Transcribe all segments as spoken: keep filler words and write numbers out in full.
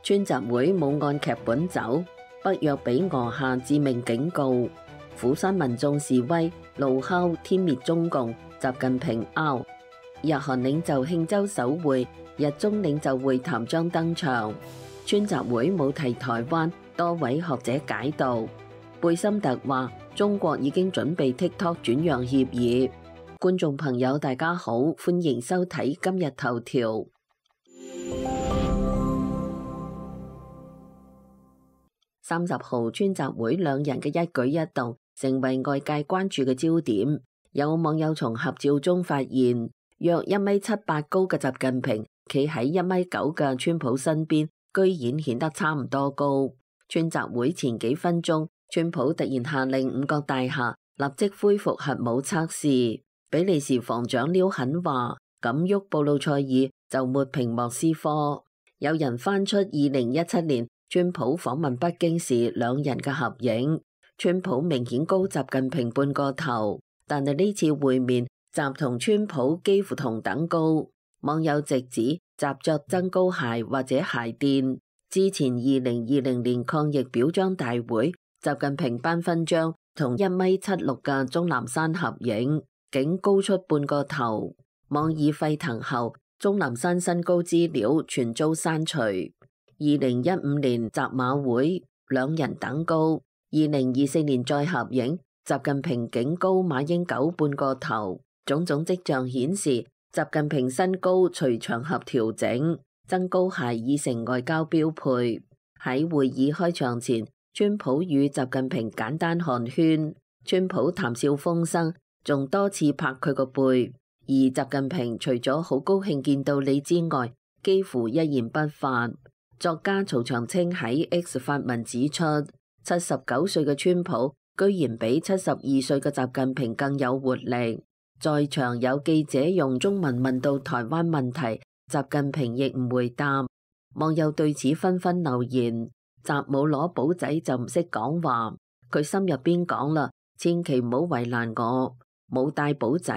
川習會冇按劇本走，北約俾俄下致命警告，釜山民眾示威怒敲天滅中共，習近平 out。日韓領袖慶州首會，日中領袖會談將登場。川習會冇提台灣，多位學者解讀。貝森特話中國已經準備 TikTok 轉讓協議。觀眾朋友大家好，歡迎收睇今日頭條。三十號川習會兩人嘅一舉一動成為外界關注嘅焦點。有網友從合照中發現，約一米七八高嘅習近平企喺一米九嘅川普身邊，居然顯得差唔多高。川習會前幾分鐘，川普突然下令五角大廈立即恢復核武測試。比利時防長廖肯話：咁喐布魯塞爾就抹平莫斯科。有人翻出二零一七年川普訪問北京時兩人嘅合影，川普明顯高習近平半個頭，但係呢次會面，習同川普幾乎同等高。網友直指習着增高鞋或者鞋墊。之前二零二零年抗疫表彰大會，習近平頒勳章同一米七六嘅鍾南山合影，竟高出半個頭。網議沸騰後，鍾南山身高資料全遭刪除。二零一五年習馬會兩人等高，二零二四年再合影，習近平竟高馬英九半個頭。種種跡象顯示，習近平身高隨場合調整，增高鞋已成外交標配。喺會議開場前，川普與習近平簡單寒暄，川普談笑風生，仲多次拍佢個背。而習近平除咗好高興見到你之外，幾乎一言不發。作家曹長青喺 X 發文指出，七十九歲嘅川普居然比七十二歲嘅習近平更有活力。在場有記者用中文問到台灣問題，習近平亦唔回答。網友對此紛紛留言：習冇攞簿仔就唔識講話，佢心入邊講啦，千祈唔好為難我，冇帶簿仔，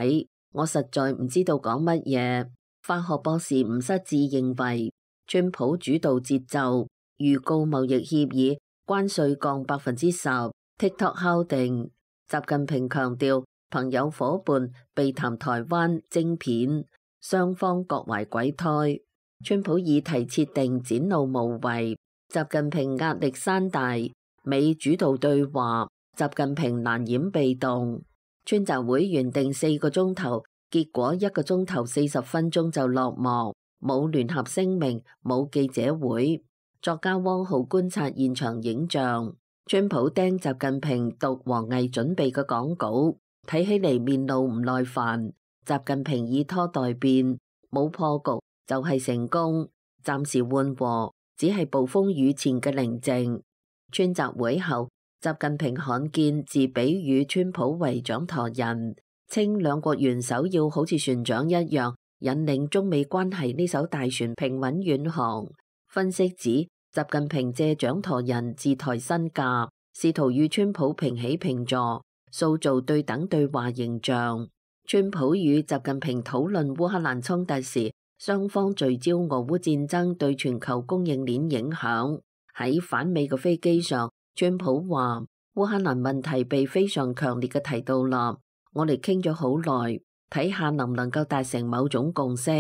我實在唔知道講乜嘢。法學博士吳失志認為，川普主導節奏，預告貿易協議，關稅降百分之十 ，TikTok 敲定。習近平強調，朋友伙伴避談台灣晶片，雙方各懷鬼胎。川普議題設定展露無遺，習近平壓力山大，美主導對話，習近平難掩被動。川習會原定四個鐘頭，結果一個鐘頭四十分鐘就落幕。冇聯合聲明，冇記者會。作家汪浩觀察現場影像，川普盯習近平讀王毅準備嘅講稿，睇起嚟面露唔耐煩。習近平以拖待變，冇破局就係成功，暫時緩和，只係暴風雨前嘅寧靜。川習會後，習近平罕見自比喻川普為掌舵人，稱兩國元首要好似船長一樣，引領中美關係呢艘大船平穩遠航。分析指，習近平借掌舵人自抬身價，試圖與川普平起平坐，塑造對等對話形象。川普與習近平討論烏克蘭衝突時，雙方聚焦俄烏戰爭對全球供應鏈影響。喺返美嘅飛機上，川普話烏克蘭問題被非常強烈嘅提到啦，我哋傾咗好耐。睇下能唔能夠達成某種共識，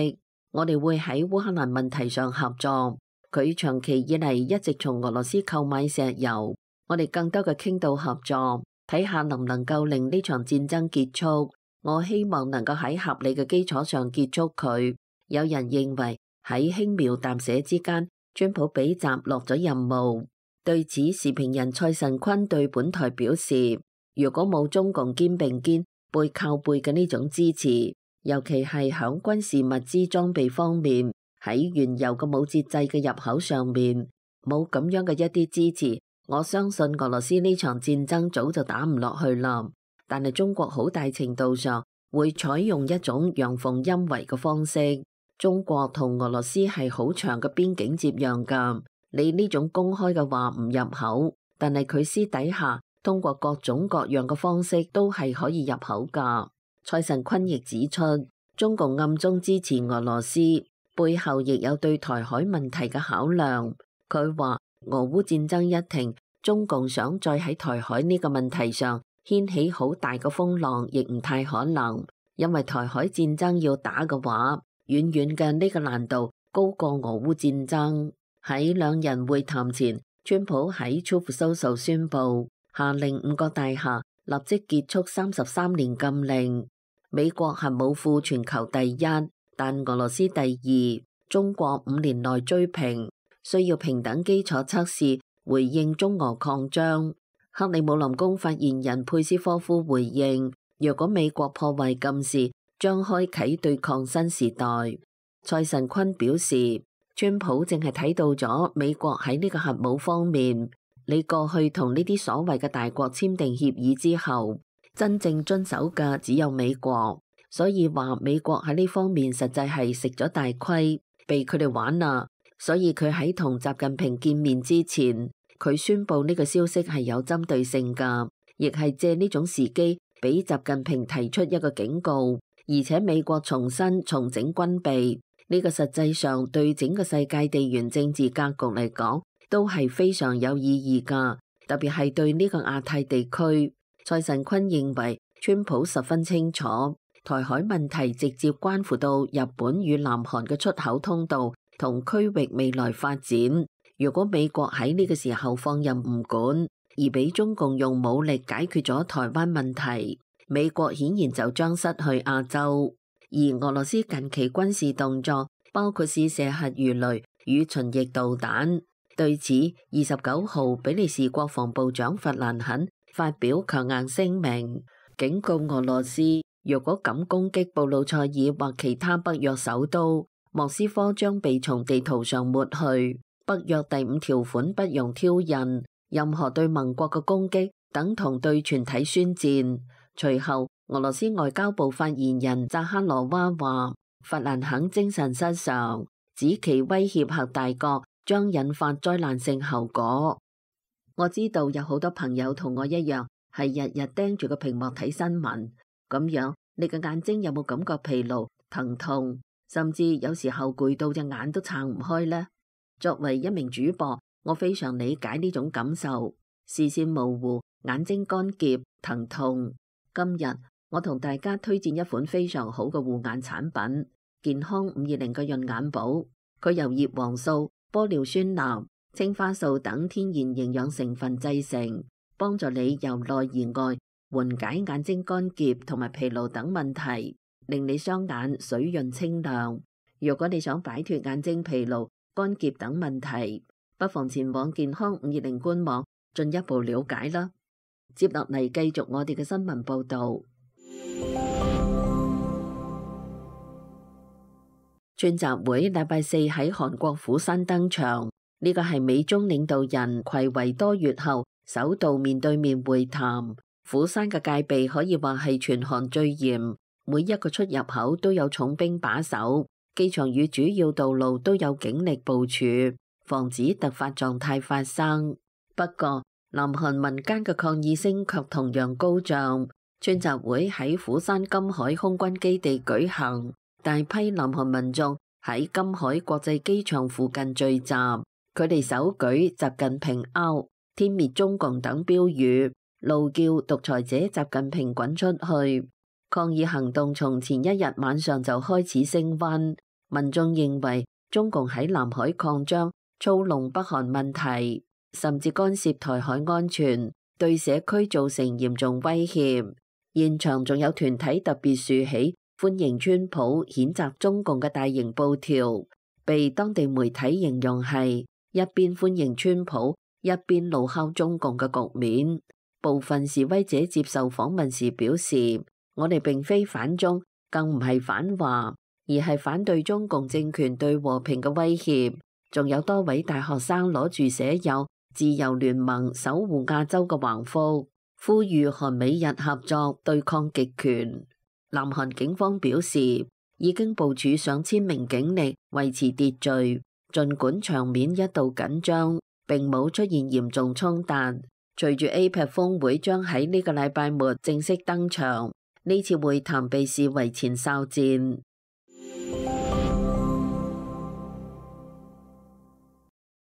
我哋會喺烏克蘭問題上合作。佢長期以嚟一直從俄羅斯購買石油，我哋更多嘅傾到合作，睇下能唔能夠令呢場戰爭結束。我希望能夠喺合理嘅基礎上結束佢。有人認為喺輕描淡寫之間，川普俾習落咗任務。對此，時評人蔡慎坤對本台表示，如果冇中共肩並肩背靠背嘅呢種支持，尤其係響軍事物資裝備方面，喺原油嘅冇節制嘅入口上面，冇咁樣嘅一啲支持，我相信俄羅斯呢場戰爭早就打唔落去啦。但係中國好大程度上會採用一種陽奉陰違嘅方式。中國同俄羅斯係好長嘅邊境接壤噶，你呢種公開嘅話唔入口，但係佢私底下通過各種各樣嘅方式都係可以入口噶。蔡慎坤亦指出，中共暗中支持俄羅斯，背後亦有對台海問題嘅考量。佢話俄烏戰爭一停，中共想再喺台海呢個問題上掀起好大嘅風浪，亦唔太可能，因為台海戰爭要打嘅話，遠遠嘅呢個難度高過俄烏戰爭。喺兩人會談前，川普喺 Truth Social 宣布，下令五角大廈立即結束三十三年禁令。美國核武庫全球第一，但俄羅斯第二，中國五年內追平，需要平等基礎測試回應中俄擴張。克里姆林宮發言人佩斯科夫回應，若果美國破壞禁事，將開啟對抗新時代。蔡神坤表示，川普淨係睇到咗美國喺呢個核武方面，你過去同呢啲所謂嘅大國簽訂協議之後，真正遵守嘅只有美國，所以話美國喺呢方面實際係食咗大虧，被佢哋玩啦。所以佢喺同習近平見面之前，佢宣布呢個消息係有針對性㗎，亦係借呢種時機俾習近平提出一個警告，而且美國重新重整軍備。呢個實際上對整個世界地緣政治格局嚟講都係非常有意義㗎，特別係對呢個亞太地區。蔡神坤認為川普十分清楚，台海問題直接關乎到日本與南韓嘅出口通道同區域未來發展。如果美國喺呢個時候放任唔管，而俾中共用武力解決咗台灣問題，美國顯然就將失去亞洲。而俄羅斯近期軍事動作包括試射核魚雷與巡弋導彈，對此二十九號比利時國防部長弗蘭肯發表強硬聲明，警告俄羅斯若果敢攻擊布魯塞爾或其他北約首都，莫斯科將被從地圖上抹去。北約第五條款不容挑釁，任何對盟國嘅攻擊等同對全體宣戰。隨後俄羅斯外交部發言人扎哈羅娃話，弗蘭肯精神失常，指其威脅核大國將引發災難性後果。我知道有好多朋友同我一樣係日日盯住個屏幕睇新聞，咁樣你嘅眼睛有冇感覺疲勞、疼痛，甚至有時候攰到隻眼都撐唔開呢？作為一名主播，我非常理解呢種感受，視線模糊、眼睛乾澀、疼痛。今日我同大家推薦一款非常好嘅護眼產品，健康五二零嘅潤眼寶。佢由葉黃素、玻尿酸鈉、青花素等天然營養成分製成，幫助你由內而外緩解眼睛乾澀同埋疲勞等問題，令你雙眼水潤清亮。如果你想擺脫眼睛疲勞、乾澀等問題，不妨前往健康五二零官網進一步了解啦。接落嚟繼續我哋嘅新聞報道。川習會禮拜四喺韓國釜山登場，呢個係美中領導人睽違多月後首度面對面會談。釜山嘅戒備可以話係全韓最嚴，每一個出入口都有重兵把守，機場與主要道路都有警力部署，防止突發狀態發生。不過南韓民間嘅抗議聲卻同樣高漲，川習會喺釜山金海空軍基地舉行，大批南韓民眾喺金海國際機場附近聚集，佢哋手舉習近平 out、天滅中共等標語，怒叫獨裁者習近平滾出去。抗議行動從前一日晚上就開始升溫，民眾認為中共喺南海擴張、操弄北韓問題，甚至干涉台海安全，對社區造成嚴重威脅。現場仲有團體特別豎起歡迎川普、譴責中共嘅大型布條，被當地媒體形容係一邊歡迎川普，一邊怒敲中共嘅局面。部分示威者接受訪問時表示，我哋並非反中，更唔係反華，而係反對中共政權對和平嘅威脅。仲有多位大學生攞住寫有自由聯盟守護亞洲嘅橫幅，呼籲韓美日合作對抗極權。南韓警方表示，已經部署上千名警力維持秩序，儘管場面一度緊張，並冇出現嚴重衝突。隨住 A P E C 峰會將喺呢個禮拜末正式登場，呢次會談被視為前哨戰。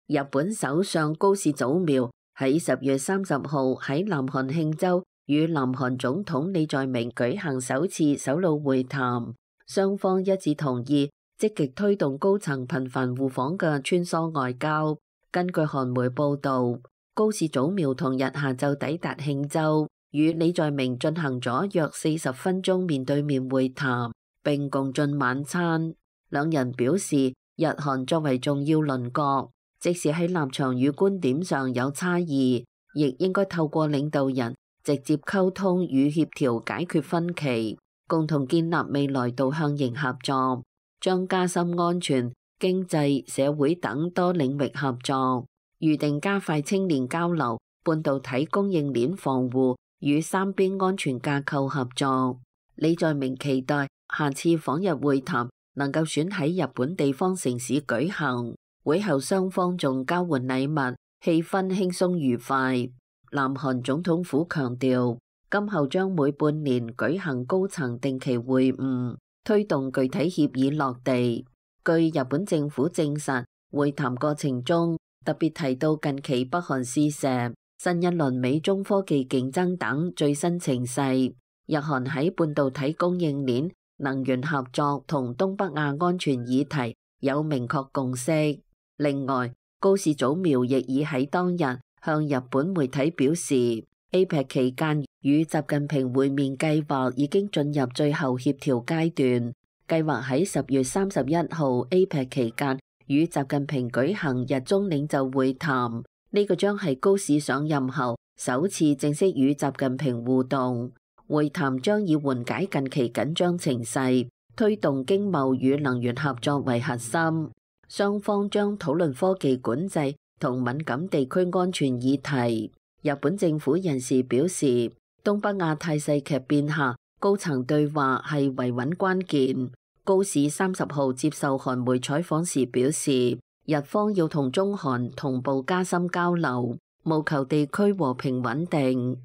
日本首相高市早苗喺十月三十號喺南韓慶州與南韓總統李在明舉行首次首腦會談，雙方一致同意積極推動高層頻繁互訪嘅穿梭外交。根據韓媒報導，高市早苗同日下晝抵達慶州，與李在明進行咗約四十分鐘面對面會談，並共進晚餐。兩人表示，日韓作為重要鄰國，即使喺立場與觀點上有差異，亦應該透過領導人直接溝通與協調解決分歧，共同建立未來導向型合作，將加深安全、經濟、社會等多領域合作，預定加快青年交流、半導體供應鏈防護與三邊安全架構合作。李在明期待下次訪日會談能夠選喺日本地方城市舉行。會後雙方仲交換禮物，氣氛輕鬆愉快。南韓總統府強調，今後將每半年舉行高層定期會晤，推動具體協議落地。據日本政府證實，會談過程中特別提到近期北韓試射、新一輪美中科技競爭等最新情勢。日韓喺半導體供應鏈、能源合作同東北亞安全議題有明確共識。另外，高市早苗亦已喺當日向日本媒體表示 ，A P E C 期間與習近平會面計劃已經進入最後協調階段，計劃喺十月三十一號 A P E C 期間與習近平舉行日中領袖會談。呢個將係高市上任後首次正式與習近平互動。會談將以緩解近期緊張情勢、推動經貿與能源合作為核心，雙方將討論科技管制同敏感地區安全議題。日本政府人士表示，東北亞態勢劇變下，高層對話係維穩關鍵。高市三十號接受韓媒採訪時表示，日方要同中韓同步加深交流，務求地區和平穩定。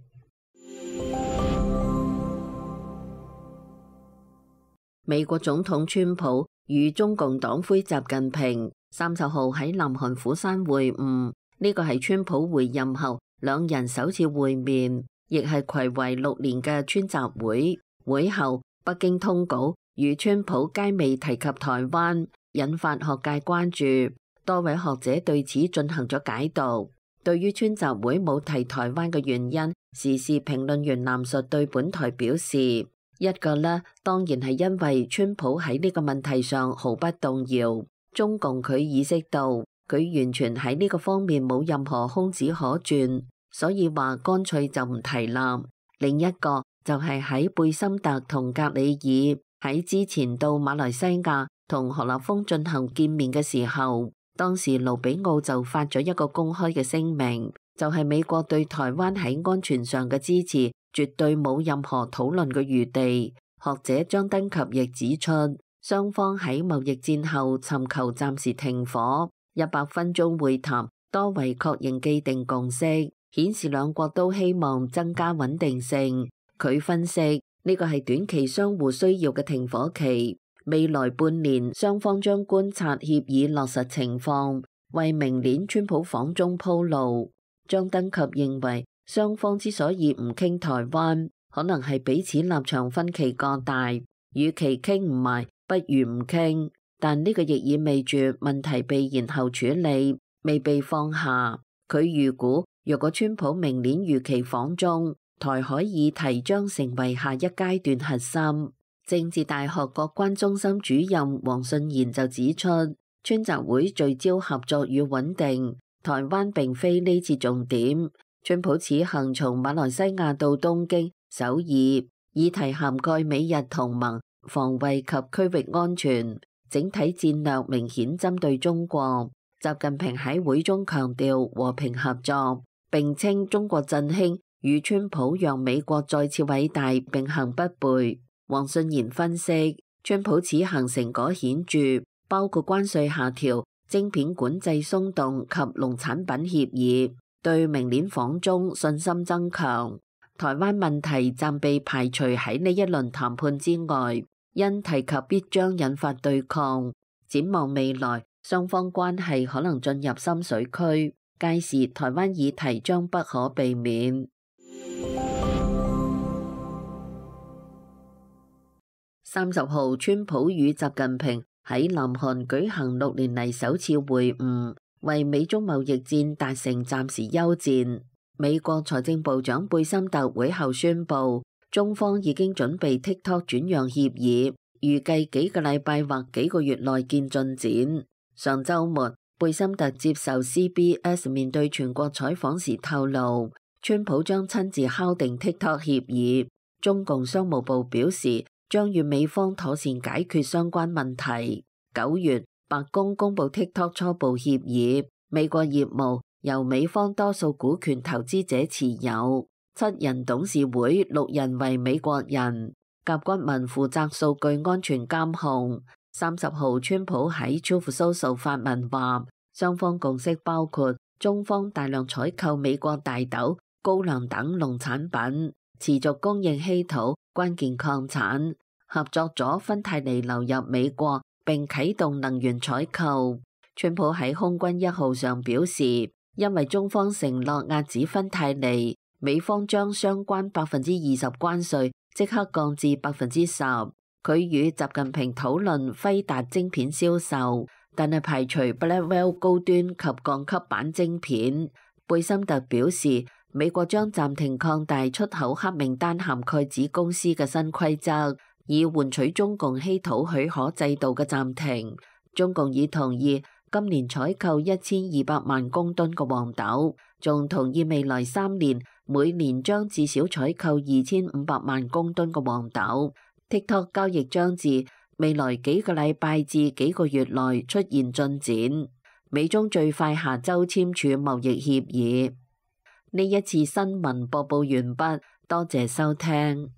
美國總統川普與中共黨魁習近平三十號喺南韓釜山會晤，呢個係川普回任後兩人首次會面，亦係睽違六年嘅川習會。會後，北京通稿與川普皆未提及台灣，引發學界關注。多位學者對此進行咗解讀。對於川習會冇提台灣嘅原因，時事評論員藍述對本台表示，一個呢，當然係因為川普喺呢個問題上毫不動搖，中共佢意識到佢完全喺呢個方面冇任何空子可鑽，所以話乾脆就唔提啦。另一個就係喺貝森特同格里爾喺之前到馬來西亞同何立峰進行見面嘅時候，當時盧比奧就發咗一個公開嘅聲明，就係美國對台灣喺安全上嘅支持絕對冇任何討論嘅餘地。學者張登及亦指出，雙方喺貿易戰後尋求暫時停火，一百分鐘會談多為確認既定共識，顯示兩國都希望增加穩定性。佢分析，呢個係短期相互需要嘅停火期，未來半年雙方將觀察協議落實情況，為明年川普訪中鋪路。張登及認為，雙方之所以唔傾台灣，可能係彼此立場分歧過大，與其傾唔埋，不如唔傾。但呢個亦意味住問題被延後處理，未被放下。佢預估，若果川普明年如期訪中，台海議題將成為下一階段核心。政治大學國關中心主任黃信賢就指出，川習會聚焦合作與穩定，台灣並非呢次重點。川普此行從馬來西亞到東京、首爾，議題涵蓋美日同盟、防衛及區域安全，整體戰略明顯針對中國。習近平喺會中強調和平合作，並稱中國振興與川普讓美國再次偉大並行不悖。黃信賢分析，川普此行成果顯著，包括關稅下調、晶片管制鬆動及農產品協議，對明年訪中信心增強。台灣問題暫被排除喺呢一輪談判之外，因提及必將引發對抗。展望未來，雙方關係可能進入深水區，屆時台灣議題將不可避免。三十號，川普與習近平喺南韓舉行六年嚟首次會晤，為美中貿易戰達成暫時休戰。美國財政部長貝森特會後宣布，中方已經準備 TikTok 轉讓協議，預計幾個禮拜或幾個月內見進展。上週末，貝森特接受 C B S 面對全國採訪時透露，川普將親自敲定 TikTok 協議。中共商務部表示，將與美方妥善解決相關問題。九月，白宮公布 TikTok 初步協議，美國業務由美方多數股權投資者持有，七人董事會六人為美國人，甲骨文負責數據安全監控。三十號，川普喺 Truth Social 發文話，雙方共識包括中方大量採購美國大豆、高粱等農產品，持續供應稀土、關鍵礦產，合作咗芬太尼流入美國，並啟動能源採購。川普喺空軍一號上表示，因為中方承諾遏止芬太尼，美方將相關百分之二十關稅即刻降至百分之十。佢與習近平討論輝達晶片銷售，但係排除 Blackwell 高端及降級版晶片。貝森特表示，美國將暫停擴大出口黑名單涵蓋子公司嘅新規則，以換取中共稀土許可制度嘅暫停。中共已同意今年採購一千二百萬公噸嘅黃豆，仲同意未來三年每年將至少採購二千五百萬公噸嘅黃豆。TikTok 交易將至未來幾個禮拜至幾個月內出現進展，美中最快下週簽署貿易協議。呢一次新聞播報完畢，多謝收聽。